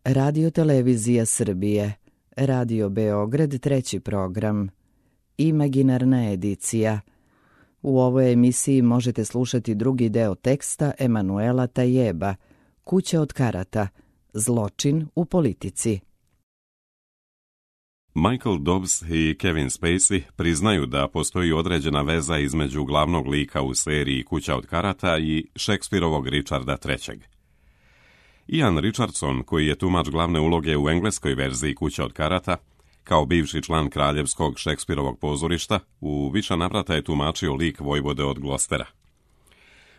Radio Televizija Srbije, Radio Beograd, treći program, Imaginarna edicija. U ovoj emisiji možete slušati drugi deo teksta Emanuela Tajeba, Kuća od karata, zločin u politici. Michael Dobbs i Kevin Spacey priznaju da postoji određena veza između glavnog lika u seriji Kuća od karata i Šekspirovog Richarda III. Ian Richardson, koji je tumač glavne uloge u engleskoj verziji Kuća od karata, kao bivši član kraljevskog Šekspirovog pozorišta, u više navrata je tumačio lik vojvode od Glostera.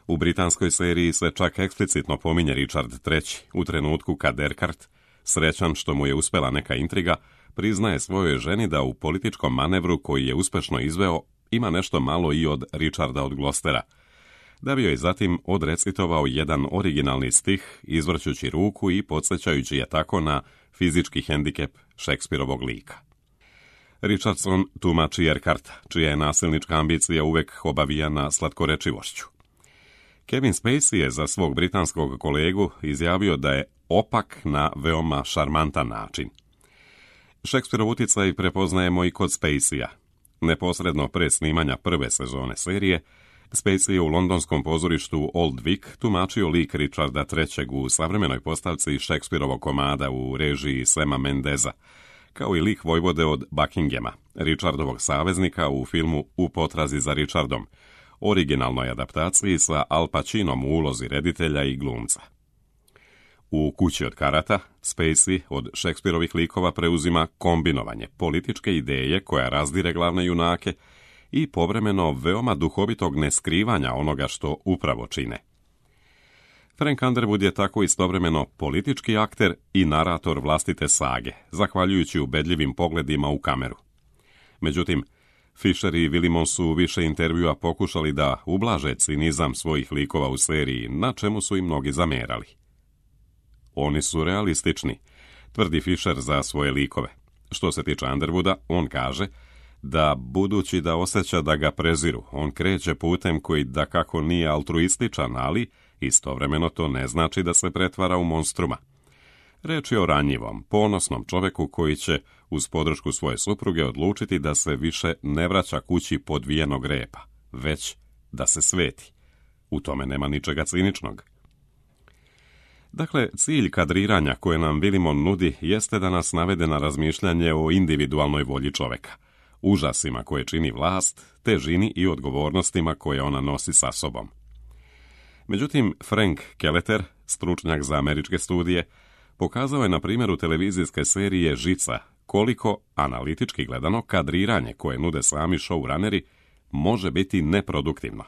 U britanskoj seriji se čak eksplicitno pominje Richard III u trenutku kad Erkart, srećan što mu je uspela neka intriga, priznaje svojoj ženi da u političkom manevru koji je uspešno izveo ima nešto malo i od Richarda od Glostera, da bi joj zatim odrecitovao jedan originalni stih, izvrćući ruku i podsjećajući je tako na fizički hendikep Šekspirovog lika. Richardson tumači Erkarta, čija je nasilnička ambicija uvek obavijana slatkorečivošću. Kevin Spacey je za svog britanskog kolegu izjavio da je opak na veoma šarmantan način. Šekspirov uticaj prepoznajemo i kod Spacey-a. Neposredno pre snimanja prve sezone serije, Spacey je u londonskom pozorištu Old Vic tumačio lik Richarda III u savremenoj postavci Šekspirovog komada u režiji Sama Mendeza, kao i lik vojvode od Buckinghama, Richardovog saveznika u filmu U potrazi za Richardom, originalnoj adaptaciji sa Al Pacinom u ulozi reditelja i glumca. U Kući od karata, Spacey od Šekspirovih likova preuzima kombinovanje političke ideje koja razdire glavne junake i povremeno veoma duhovitog neskrivanja onoga što upravo čine. Frank Underwood je tako istovremeno politički akter i narator vlastite sage, zahvaljujući ubedljivim pogledima u kameru. Međutim, Fisher i Willimon su više intervjua pokušali da ublaže cinizam svojih likova u seriji, na čemu su i mnogi zamerali. Oni su realistični, tvrdi Fisher za svoje likove. Što se tiče Underwooda, on kaže da, budući da osjeća da ga preziru, on kreće putem koji dakako nije altruističan, ali istovremeno to ne znači da se pretvara u monstruma. Reč je o ranjivom, ponosnom čoveku koji će, uz podršku svoje supruge, odlučiti da se više ne vraća kući podvijenog repa, već da se sveti. U tome nema ničega ciničnog. Dakle, cilj kadriranja koje nam Willimon nudi jeste da nas navede na razmišljanje o individualnoj volji čoveka, užasima koje čini vlast, težini i odgovornostima koje ona nosi sa sobom. Međutim, Frank Kelleher, stručnjak za američke studije, pokazao je na primjeru televizijske serije Žica koliko, analitički gledano, kadriranje koje nude sami showrunneri može biti neproduktivno.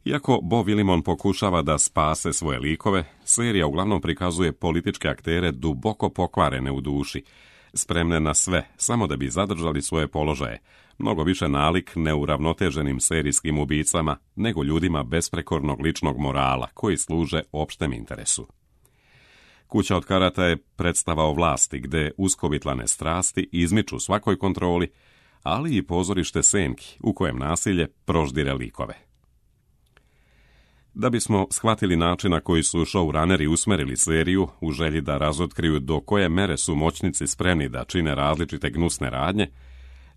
Iako Bo Willimon pokušava da spase svoje likove, serija uglavnom prikazuje političke aktere duboko pokvarene u duši, spremne na sve, samo da bi zadržali svoje položaje, mnogo više nalik neuravnoteženim serijskim ubicama nego ljudima besprekornog ličnog morala koji služe opštem interesu. Kuća od karata je predstava o vlasti gde uskovitlane strasti izmiču svakoj kontroli, ali i pozorište senki u kojem nasilje proždire likove. Da bismo shvatili način na koji su showrunneri usmerili seriju u želji da razotkriju do koje mere su moćnici spremni da čine različite gnusne radnje,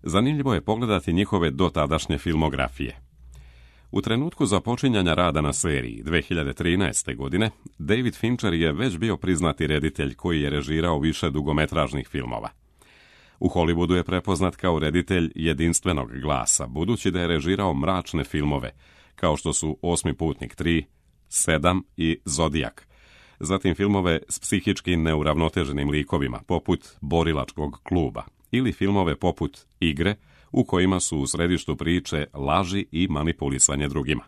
zanimljivo je pogledati njihove dotadašnje filmografije. U trenutku započinjanja rada na seriji 2013. godine, David Fincher je već bio priznati reditelj koji je režirao više dugometražnih filmova. U Hollywoodu je prepoznat kao reditelj jedinstvenog glasa, budući da je režirao mračne filmove, kao što su Osmi putnik 3, 7 i Zodijak. Zatim filmove s psihički neuravnoteženim likovima, poput Borilačkog kluba, ili filmove poput Igre, u kojima su u središtu priče laži i manipulisanje drugima.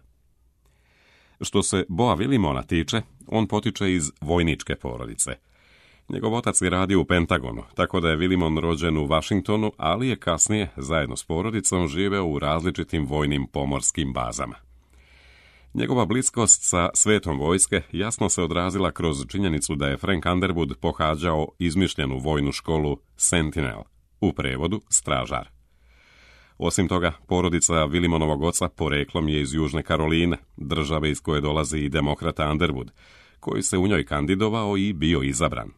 Što se Boa Willimona tiče, on potiče iz vojničke porodice. Njegov otac je radio u Pentagonu, tako da je Willimon rođen u Washingtonu, ali je kasnije, zajedno s porodicom, živeo u različitim vojnim pomorskim bazama. Njegova bliskost sa svetom vojske jasno se odrazila kroz činjenicu da je Frank Underwood pohađao izmišljenu vojnu školu Sentinel, u prevodu stražar. Osim toga, porodica Willimonovog oca poreklom je iz Južne Karoline, države iz koje dolazi i demokrata Underwood, koji se u njoj kandidovao i bio izabran.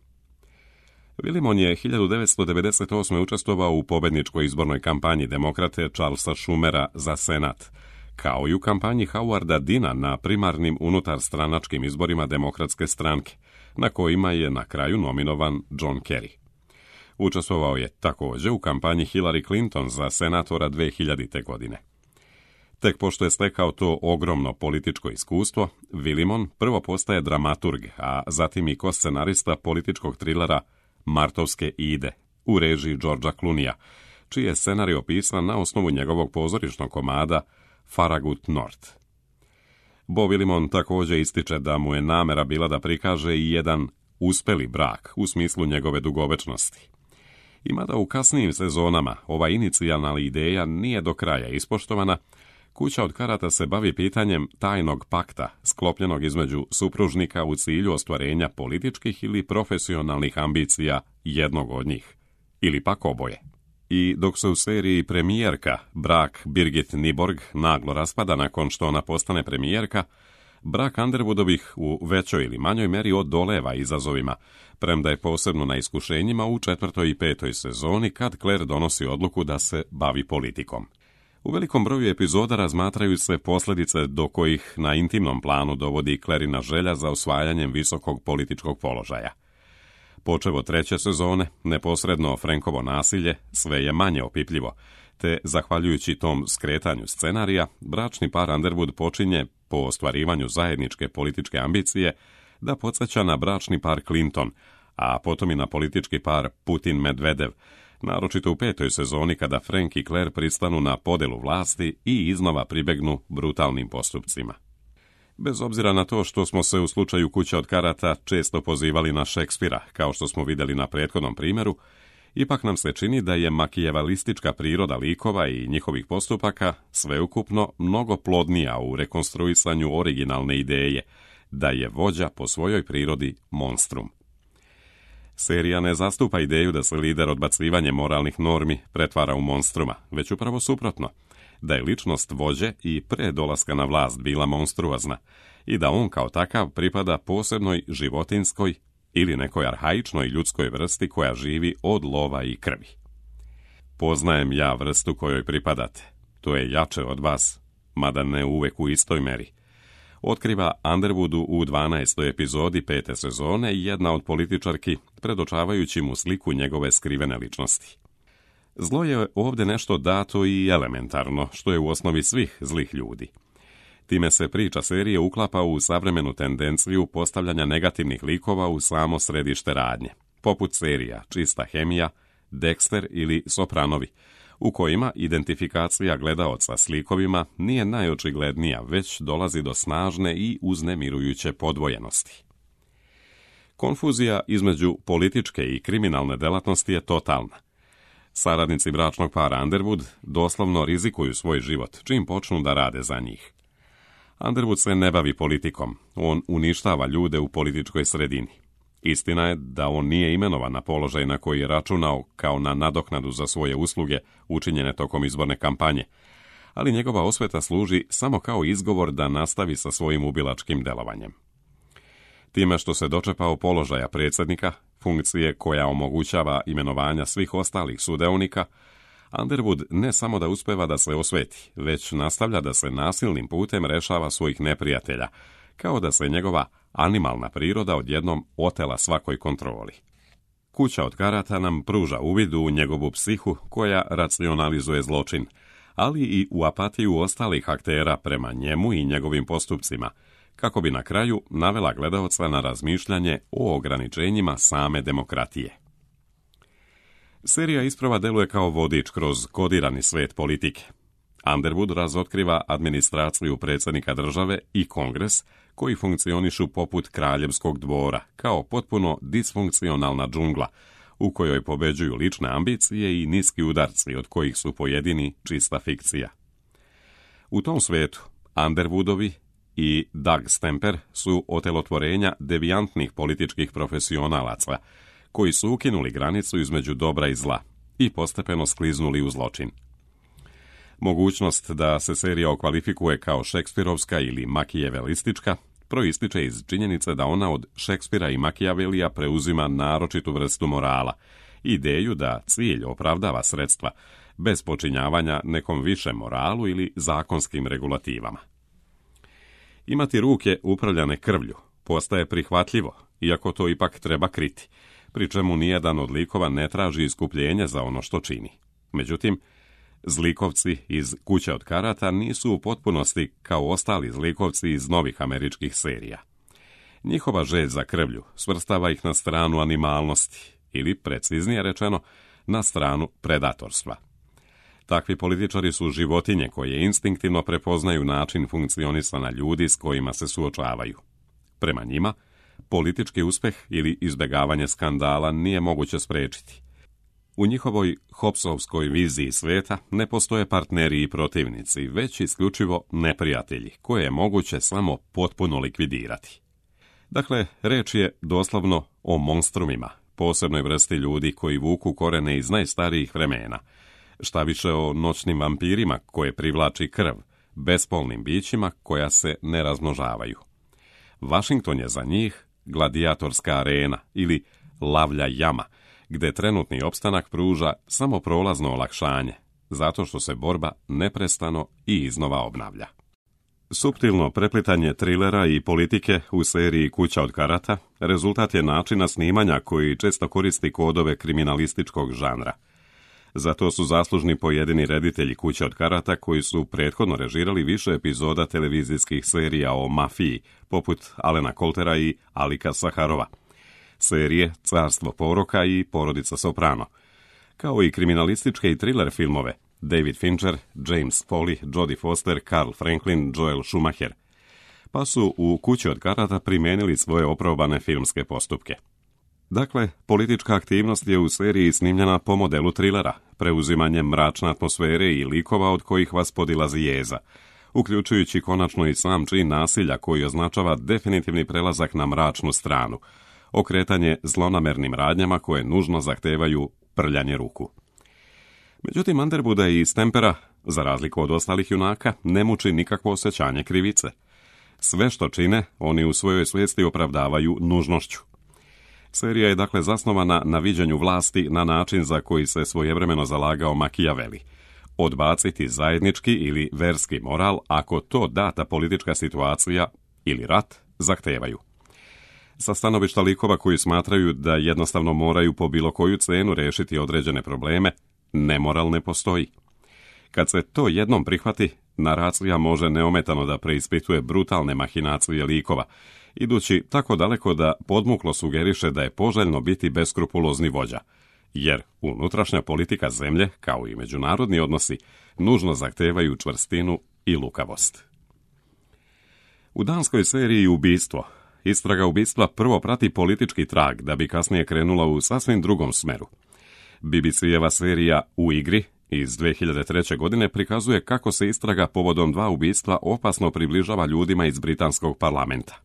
Willimon je 1998. učestvovao u pobedničkoj izbornoj kampanji demokrate Charlesa Schumera za senat, kao i u kampanji Howarda Deana na primarnim unutarstranačkim izborima demokratske stranke, na kojima je na kraju nominovan John Kerry. Učestvovao je također u kampanji Hillary Clinton za senatora 2000. godine. Tek pošto je stekao to ogromno političko iskustvo, Willimon prvo postaje dramaturg, a zatim i koscenarista političkog trilera Martovske ide u režiji Georgea Clooneyja, čiji je scenarij opisan na osnovu njegovog pozorišnog komada Farragut North. Bo Willimon također ističe da mu je namera bila da prikaže i jedan uspeli brak u smislu njegove dugovečnosti. I mada u kasnijim sezonama ova inicijalna ideja nije do kraja ispoštovana, Kuća od karata se bavi pitanjem tajnog pakta sklopljenog između supružnika u cilju ostvarenja političkih ili profesionalnih ambicija jednog od njih, ili pak oboje. I dok se u seriji Premijerka brak Birgit Nyborg naglo raspada nakon što ona postane premijerka, brak Underwoodovih u većoj ili manjoj meri odoleva izazovima, premda je posebno na iskušenjima u 4. i 5. sezoni kad Claire donosi odluku da se bavi politikom. U velikom broju epizoda razmatraju se posljedice do kojih na intimnom planu dovodi Clarina želja za osvajanjem visokog političkog položaja. Počev od 3. sezone, neposredno Frankovo nasilje sve je manje opipljivo, te, zahvaljujući tom skretanju scenarija, bračni par Underwood počinje, po ostvarivanju zajedničke političke ambicije, da podsjeća na bračni par Clinton, a potom i na politički par Putin-Medvedev, naročito u 5. sezoni kada Frank i Claire pristanu na podelu vlasti i iznova pribegnu brutalnim postupcima. Bez obzira na to što smo se u slučaju Kuća od karata često pozivali na Šekspira, kao što smo vidjeli na prethodnom primjeru, ipak nam se čini da je makijevalistička priroda likova i njihovih postupaka sveukupno mnogo plodnija u rekonstruisanju originalne ideje, da je vođa po svojoj prirodi monstrum. Serija ne zastupa ideju da se lider odbacivanjem moralnih normi pretvara u monstruma, već upravo suprotno, da je ličnost vođe i pre dolaska na vlast bila monstruozna i da on kao takav pripada posebnoj životinskoj ili nekoj arhaičnoj ljudskoj vrsti koja živi od lova i krvi. Poznajem ja vrstu kojoj pripadate, to je jače od vas, mada ne uvek u istoj meri. Otkriva Underwoodu u 12. epizodi 5. sezone jedna od političarki, predočavajući mu sliku njegove skrivene ličnosti. Zlo je ovdje nešto dato i elementarno, što je u osnovi svih zlih ljudi. Time se priča serije uklapa u savremenu tendenciju postavljanja negativnih likova u samo središte radnje, poput serija Čista hemija, Dexter ili Sopranovi, u kojima identifikacija gledaoca s likovima nije najočiglednija, već dolazi do snažne i uznemirujuće podvojenosti. Konfuzija između političke i kriminalne delatnosti je totalna. Saradnici bračnog para Underwood doslovno rizikuju svoj život čim počnu da rade za njih. Underwood se ne bavi politikom, on uništava ljude u političkoj sredini. Istina je da on nije imenovan na položaj na koji je računao kao na nadoknadu za svoje usluge učinjene tokom izborne kampanje, ali njegova osveta služi samo kao izgovor da nastavi sa svojim ubilačkim delovanjem. Time što se dočepao položaja predsjednika, funkcije koja omogućava imenovanja svih ostalih sudionika, Underwood ne samo da uspeva da se osveti, već nastavlja da se nasilnim putem rešava svojih neprijatelja, kao da se njegova animalna priroda odjednom otela svakoj kontroli. Kuća od karata nam pruža uvid u njegovu psihu koja racionalizuje zločin, ali i u apatiju ostalih aktera prema njemu i njegovim postupcima, kako bi na kraju navela gledaoca na razmišljanje o ograničenjima same demokratije. Serija isprva deluje kao vodič kroz kodirani svet politike. Underwood razotkriva administraciju predsjednika države i kongres, koji funkcionišu poput kraljevskog dvora, kao potpuno disfunkcionalna džungla, u kojoj pobeđuju lične ambicije i niski udarci, od kojih su pojedini čista fikcija. U tom svetu Underwoodovi i Doug Stamper su otelotvorenja devijantnih političkih profesionalaca, koji su ukinuli granicu između dobra i zla i postepeno skliznuli u zločin. Mogućnost da se serija okvalifikuje kao šekspirovska ili makijevelistička proističe iz činjenice da ona od Šekspira i Machiavellija preuzima naročitu vrstu morala, ideju da cilj opravdava sredstva, bez počinjavanja nekom višem moralu ili zakonskim regulativama. Imati ruke upravljane krvlju postaje prihvatljivo, iako to ipak treba kriti, pri čemu nijedan od likova ne traži iskupljenje za ono što čini. Međutim, zlikovci iz Kuće od karata nisu u potpunosti kao ostali zlikovci iz novih američkih serija. Njihova želj za krvlju svrstava ih na stranu animalnosti, ili, preciznije rečeno, na stranu predatorstva. Takvi političari su životinje koje instinktivno prepoznaju način funkcionisanja ljudi s kojima se suočavaju. Prema njima, politički uspeh ili izbjegavanje skandala nije moguće spriječiti. U njihovoj Hobbesovskoj viziji sveta ne postoje partneri i protivnici, već isključivo neprijatelji, koje je moguće samo potpuno likvidirati. Dakle, reč je doslovno o monstrumima, posebnoj vrsti ljudi koji vuku korene iz najstarijih vremena, šta više o noćnim vampirima koje privlači krv, bespolnim bićima koja se ne razmnožavaju. Washington je za njih gladijatorska arena ili lavlja jama, gde trenutni opstanak pruža samo prolazno olakšanje, zato što se borba neprestano i iznova obnavlja. Suptilno preplitanje trilera i politike u seriji Kuća od karata rezultat je načina snimanja koji često koristi kodove kriminalističkog žanra. Zato su zaslužni pojedini reditelji Kuće od karata koji su prethodno režirali više epizoda televizijskih serija o mafiji, poput Alena Coltera i Alika Saharova, serije Carstvo poroka i Porodica Soprano, kao i kriminalističke i thriller filmove David Fincher, James Foley, Jodie Foster, Carl Franklin, Joel Schumacher, pa su u Kući od karata primijenili svoje oprobane filmske postupke. Dakle, politička aktivnost je u seriji snimljena po modelu trilera, preuzimanjem mračne atmosfere i likova od kojih vas podilazi jeza, uključujući konačno i sam čin nasilja koji označava definitivni prelazak na mračnu stranu, okretanje zlonamernim radnjama koje nužno zahtevaju prljanje ruku. Međutim, Underwooda i Stempera, za razliku od ostalih junaka, ne muči nikakvo osjećanje krivice. Sve što čine, oni u svojoj svijesti opravdavaju nužnošću. Serija je dakle zasnovana na viđenju vlasti na način za koji se svojevremeno zalagao Machiavelli. Odbaciti zajednički ili verski moral ako to data politička situacija ili rat zahtevaju. Sa stanovišta likova koji smatraju da jednostavno moraju po bilo koju cenu rešiti određene probleme, nemoral ne postoji. Kad se to jednom prihvati, naracija može neometano da preispituje brutalne mahinacije likova, idući tako daleko da podmuklo sugeriše da je poželjno biti beskrupulozni vođa, jer unutrašnja politika zemlje, kao i međunarodni odnosi, nužno zahtevaju čvrstinu i lukavost. U danskoj seriji Ubistvo, istraga ubistva prvo prati politički trag da bi kasnije krenula u sasvim drugom smeru. BBC-eva serija U igri iz 2003. godine prikazuje kako se istraga povodom 2 ubistva opasno približava ljudima iz britanskog parlamenta.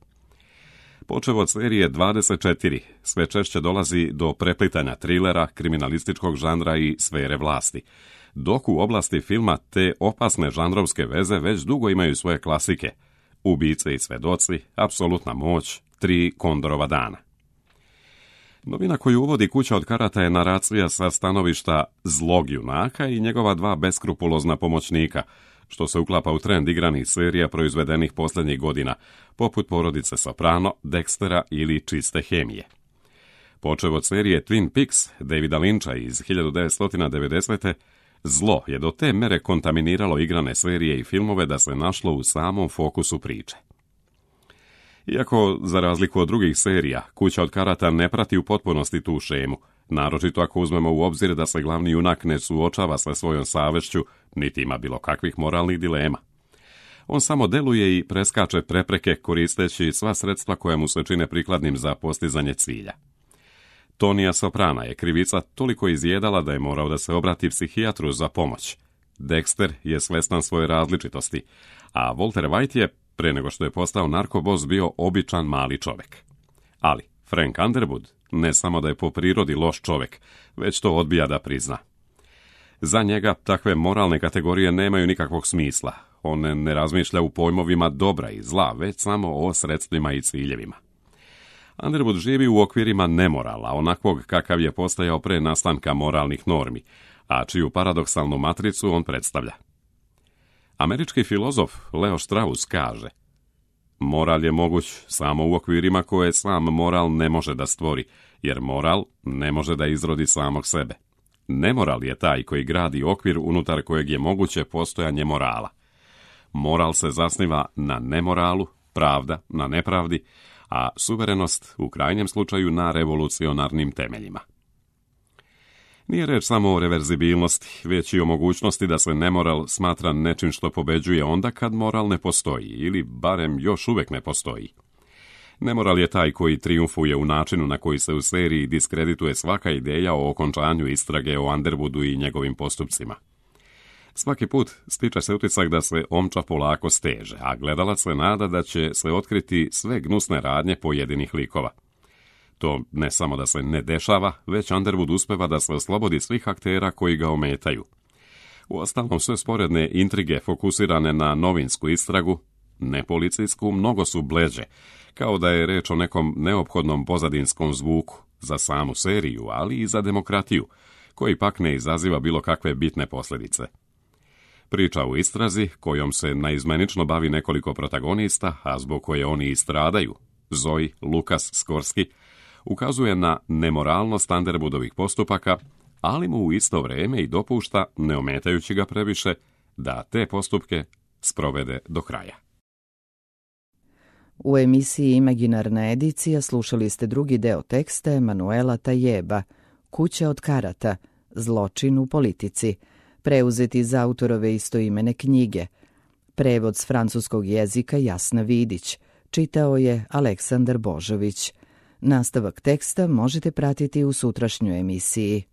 Počev od serije 24, sve češće dolazi do preplitanja trilera, kriminalističkog žanra i sfere vlasti, dok u oblasti filma te opasne žanrovske veze već dugo imaju svoje klasike: Ubice i svedoci, Apsolutna moć, 3 Kondorova dana. Novina koju uvodi Kuća od karata je naracija sa stanovišta zlog junaka i njegova 2 beskrupulozna pomoćnika, što se uklapa u trend igranih serija proizvedenih posljednjih godina, poput Porodice Soprano, Dextera ili Čiste hemije. Počev od serije Twin Peaks Davida Lyncha iz 1990. zlo je do te mere kontaminiralo igrane serije i filmove da se našlo u samom fokusu priče. Iako, za razliku od drugih serija, Kuća od karata ne prati u potpunosti tu šemu, naročito ako uzmemo u obzir da se glavni junak ne suočava sa svojom savešću, niti ima bilo kakvih moralnih dilema. On samo deluje i preskače prepreke koristeći sva sredstva koja mu se čine prikladnim za postizanje cilja. Tonija Soprana je krivica toliko izjedala da je morao da se obrati psihijatru za pomoć. Dexter je svestan svoje različitosti, a Walter White je, pre nego što je postao narkobos, bio običan mali čovek. Ali Frank Underwood ne samo da je po prirodi loš čovek, već to odbija da prizna. Za njega takve moralne kategorije nemaju nikakvog smisla. On ne razmišlja u pojmovima dobra i zla, već samo o sredstvima i ciljevima. Underwood živi u okvirima nemorala, onakvog kakav je postajao pre nastanka moralnih normi, a čiju paradoksalnu matricu on predstavlja. Američki filozof Leo Strauss kaže: moral je moguć samo u okvirima koje sam moral ne može da stvori, jer moral ne može da izrodi samog sebe. Nemoral je taj koji gradi okvir unutar kojeg je moguće postojanje morala. Moral se zasniva na nemoralu, pravda na nepravdi, a suverenost u krajnjem slučaju na revolucionarnim temeljima. Nije reč samo o reverzibilnosti, već i o mogućnosti da se nemoral smatra nečim što pobeđuje onda kad moral ne postoji, ili barem još uvek ne postoji. Nemoral je taj koji trijumfuje u načinu na koji se u seriji diskredituje svaka ideja o okončanju istrage o Underwoodu i njegovim postupcima. Svaki put stiče se utisak da se omča polako steže, a gledalac se nada da će se otkriti sve gnusne radnje pojedinih likova. To ne samo da se ne dešava, već Underwood uspeva da se oslobodi svih aktera koji ga ometaju. Uostalom, sve sporedne intrige fokusirane na novinsku istragu, ne policijsku, mnogo su bleđe, kao da je reč o nekom neophodnom pozadinskom zvuku za samu seriju, ali i za demokratiju, koji pak ne izaziva bilo kakve bitne posljedice. Priča u istrazi, kojom se naizmenično bavi nekoliko protagonista, a zbog koje oni i stradaju, Zoe, Lukas, Skorski, ukazuje na nemoralnost Underwoodovih postupaka, ali mu u isto vrijeme i dopušta, ne ometajući ga previše, da te postupke sprovede do kraja. U emisiji Imaginarna edicija slušali ste drugi deo teksta Emanuela Tajeba, Kuća od karata, zločin u politici, preuzeti iz autorove istoimene knjige. Prevod s francuskog jezika Jasna Vidić, čitao je Aleksandar Božović. Nastavak teksta možete pratiti u sutrašnjoj emisiji.